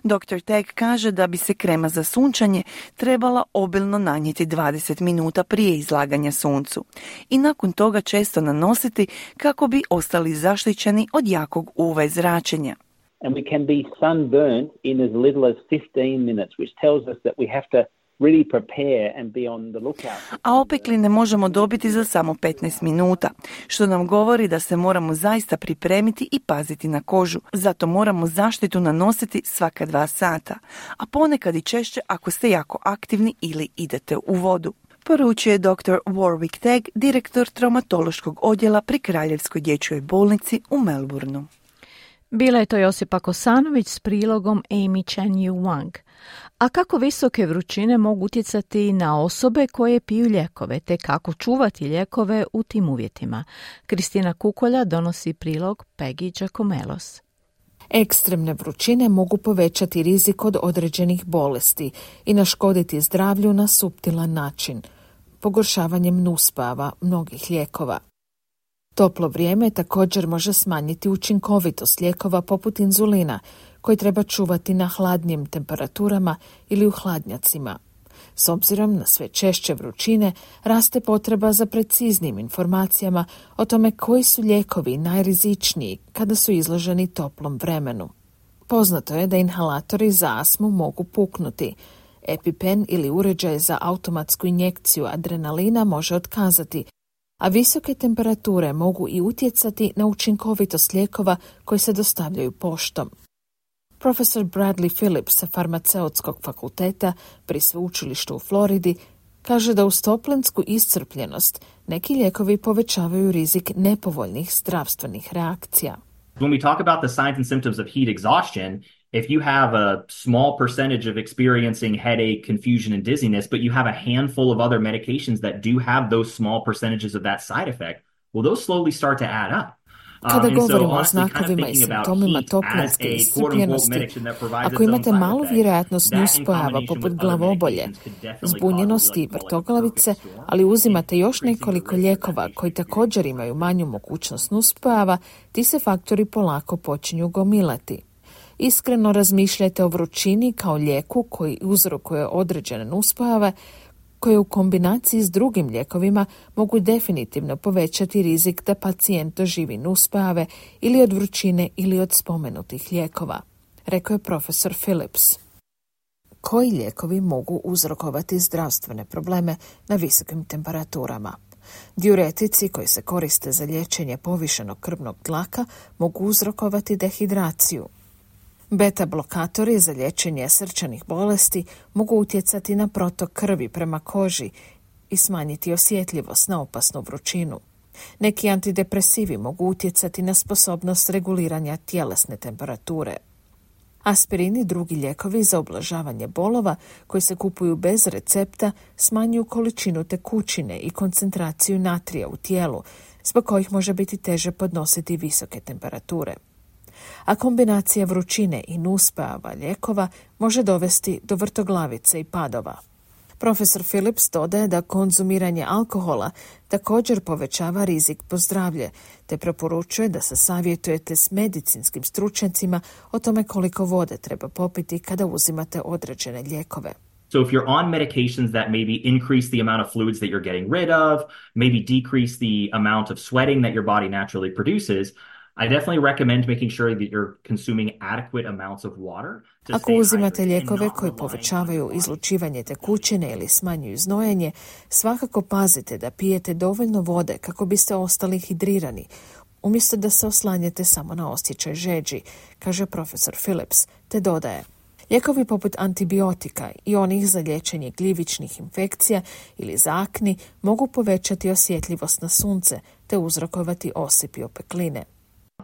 Dr. Tag kaže da bi se krema za sunčanje trebala obilno nanijeti 20 minuta prije izlaganja suncu i nakon toga često nanositi kako bi ostali zaštićeni od jakog UV zračenja. And we can be sunburned in as little as 15 minutes, which tells us that we have to really prepare and be on the lookout. A opekline možemo dobiti za samo 15 minuta, što nam govori da se moramo zaista pripremiti i paziti na kožu. Zato moramo zaštitu nanositi svaka 2 sata, a ponekad i češće ako ste jako aktivni ili idete u vodu. Poručio je dr. Warwick Tag, direktor traumatološkog odjela pri Kraljevskoj dječjoj bolnici u Melbourneu. Bila je to Josipa Kosanović s prilogom Amy Chan-Yu Wang. A kako visoke vrućine mogu utjecati na osobe koje piju lijekove, te kako čuvati lijekove u tim uvjetima? Kristina Kukolja donosi prilog Peggy Giacomelos. Ekstremne vrućine mogu povećati rizik od određenih bolesti i naškoditi zdravlju na suptilan način, pogoršavanjem nuspojava mnogih lijekova. Toplo vrijeme također može smanjiti učinkovitost lijekova poput inzulina, koji treba čuvati na hladnijim temperaturama ili u hladnjacima. S obzirom na sve češće vrućine, raste potreba za preciznijim informacijama o tome koji su lijekovi najrizičniji kada su izloženi toplom vremenu. Poznato je da inhalatori za astmu mogu puknuti. EpiPen ili uređaj za automatsku injekciju adrenalina može otkazati, a visoke temperature mogu i utjecati na učinkovitost lijekova koji se dostavljaju poštom. Profesor Bradley Phillips sa farmaceutskog fakulteta pri sveučilištu u Floridi kaže da uz toplensku iscrpljenost neki lijekovi povećavaju rizik nepovoljnih zdravstvenih reakcija. When we talk about the signs and symptoms of heat exhaustion, if you have a small percentage of experiencing headache, confusion, and dizziness, but you have a handful of other medications that do have those small percentages of that side effect, well, those slowly start to add up. Kada govorimo o znakovima i simptomima toplinske iscrpljenosti, ako imate malu vjerojatnost nuspojava poput glavobolje, zbunjenosti i vrtoglavice, ali uzimate još nekoliko lijekova koji također imaju manju mogućnost nuspojava, ti se faktori polako počinju gomilati. Iskreno razmišljajte o vrućini kao lijeku koji uzrokuje određene nuspojave, koje u kombinaciji s drugim lijekovima mogu definitivno povećati rizik da pacijent doživi nuspojave ili od vrućine ili od spomenutih lijekova, rekao je profesor Phillips. Koji lijekovi mogu uzrokovati zdravstvene probleme na visokim temperaturama? Diuretici koji se koriste za liječenje povišenog krvnog tlaka mogu uzrokovati dehidraciju. Beta blokatori za liječenje srčanih bolesti mogu utjecati na protok krvi prema koži i smanjiti osjetljivost na opasnu vrućinu. Neki antidepresivi mogu utjecati na sposobnost reguliranja tjelesne temperature. Aspirin i drugi lijekovi za ublažavanje bolova koji se kupuju bez recepta smanjuju količinu tekućine i koncentraciju natrija u tijelu, zbog kojih može biti teže podnositi visoke temperature. A kombinacija vrućine i nuspojava lijekova može dovesti do vrtoglavice i padova. Profesor Phillips dodaje da konzumiranje alkohola također povećava rizik po zdravlje, te preporučuje da se savjetujete s medicinskim stručnjacima o tome koliko vode treba popiti kada uzimate određene lijekove. So if you're on medications that maybe increase the amount of fluids that you're getting rid of, maybe decrease the amount of sweating that your body naturally produces, I definitely recommend making sure that you're consuming adequate amounts of water. Ako uzimate lijekove koji povećavaju izlučivanje tekućine ili smanjuju znojenje, svakako pazite da pijete dovoljno vode kako biste ostali hidrirani, umjesto da se oslanjate samo na osjećaj žeđi, kaže profesor Phillips, te dodaje. Lijekovi poput antibiotika i onih za liječenje gljivičnih infekcija ili za akni mogu povećati osjetljivost na sunce te uzrokovati osip i opekline.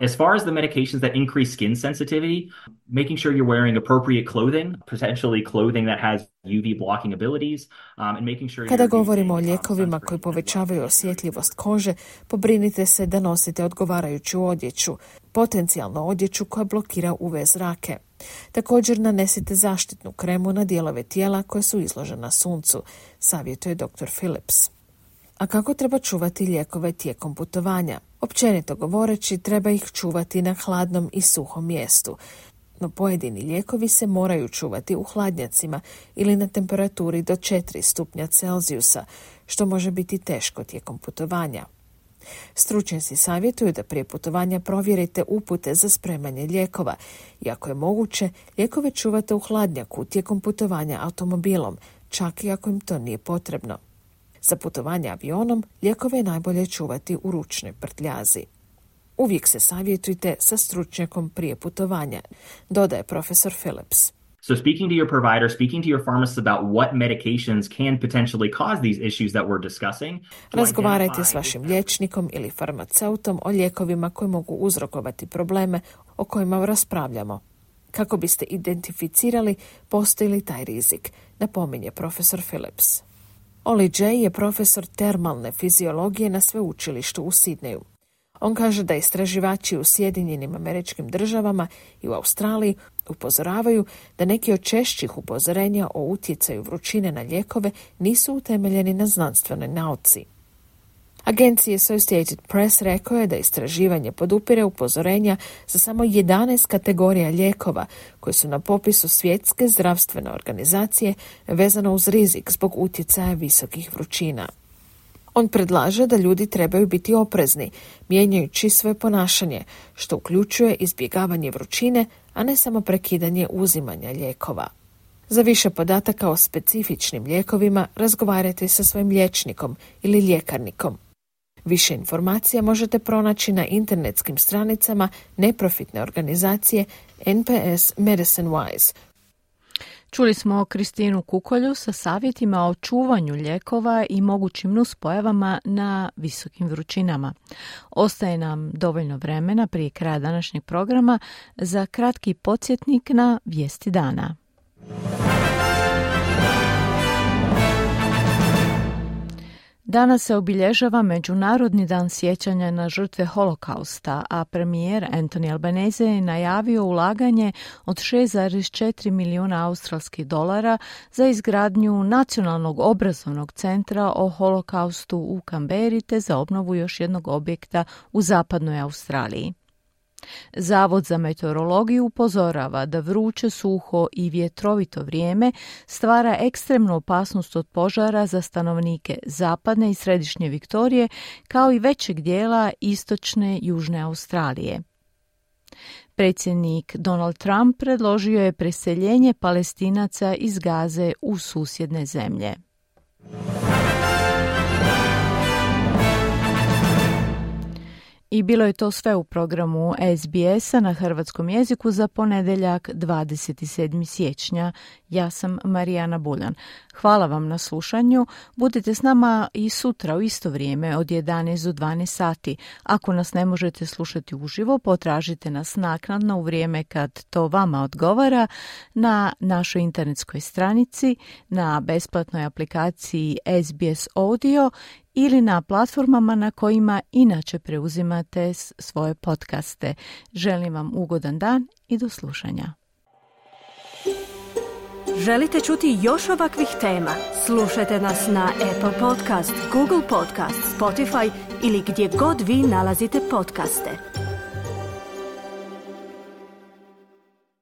As far as the medications that increase skin sensitivity, making sure you're wearing appropriate clothing, potentially clothing that has UV blocking abilities, and making sure Kada govorimo o lijekovima koji povećavaju osjetljivost kože, pobrinite se da nosite odgovarajuću odjeću, potencijalno odjeću koja blokira UV zrake. Također nanesite zaštitnu kremu na dijelove tijela koje su izložena suncu, savjetuje dr. Phillips. A kako treba čuvati lijekove tijekom putovanja? Općenito govoreći, treba ih čuvati na hladnom i suhom mjestu. No pojedini lijekovi se moraju čuvati u hladnjacima ili na temperaturi do 4 stupnja Celzijusa, što može biti teško tijekom putovanja. Stručnjaci savjetuju da prije putovanja provjerite upute za spremanje lijekova i ako je moguće, lijekove čuvate u hladnjaku tijekom putovanja automobilom, čak i ako im to nije potrebno. Za putovanje avionom lijekove je najbolje čuvati u ručnoj prtljazi. Uvijek se savjetujte sa stručnjakom prije putovanja, dodaje profesor Phillips. So speaking to your provider, speaking to your pharmacist about what medications can potentially cause these issues that we're discussing. Razgovarajte s vašim liječnikom ili farmaceutom o lijekovima koji mogu uzrokovati probleme o kojima raspravljamo. Kako biste identificirali postoji li taj rizik, napominje profesor Phillips. Oli J. je profesor termalne fiziologije na sveučilištu u Sidneju. On kaže da istraživači u Sjedinjenim Američkim Državama i u Australiji upozoravaju da neki od češćih upozorenja o utjecaju vrućine na lijekove nisu utemeljeni na znanstvenoj nauci. Agenciji Associated Press rekao je da istraživanje podupire upozorenja za samo 11 kategorija lijekova koji su na popisu Svjetske zdravstvene organizacije vezano uz rizik zbog utjecaja visokih vrućina. On predlaže da ljudi trebaju biti oprezni, mijenjajući svoje ponašanje, što uključuje izbjegavanje vrućine, a ne samo prekidanje uzimanja lijekova. Za više podataka o specifičnim lijekovima razgovarajte sa svojim liječnikom ili ljekarnikom. Više informacija možete pronaći na internetskim stranicama neprofitne organizacije NPS Medicine Wise. Čuli smo Kristinu Kukolju sa savjetima o čuvanju lijekova i mogućim nuspojavama na visokim vrućinama. Ostaje nam dovoljno vremena prije kraja današnjeg programa za kratki podsjetnik na vijesti dana. Danas se obilježava Međunarodni dan sjećanja na žrtve Holokausta, a premijer Anthony Albanese je najavio ulaganje od 6,4 milijuna australskih dolara za izgradnju Nacionalnog obrazovnog centra o Holokaustu u Kamberi te za obnovu još jednog objekta u zapadnoj Australiji. Zavod za meteorologiju upozorava da vruće, suho i vjetrovito vrijeme stvara ekstremnu opasnost od požara za stanovnike zapadne i središnje Viktorije, kao i većeg dijela istočne južne Australije. Predsjednik Donald Trump predložio je preseljenje Palestinaca iz Gaze u susjedne zemlje. I bilo je to sve u programu SBS-a na hrvatskom jeziku za ponedjeljak 27. siječnja. Ja sam Marijana Buljan. Hvala vam na slušanju. Budite s nama i sutra u isto vrijeme od 11 do 12 sati. Ako nas ne možete slušati uživo, potražite nas naknadno u vrijeme kad to vama odgovara na našoj internetskoj stranici, na besplatnoj aplikaciji SBS Audio ili na platformama na kojima inače preuzimate svoje podcaste. Želim vam ugodan dan i do slušanja. Želite čuti još ovakvih tema? Slušajte nas na Apple Podcast, Google Podcast, Spotify ili gdje god vi nalazite podcaste.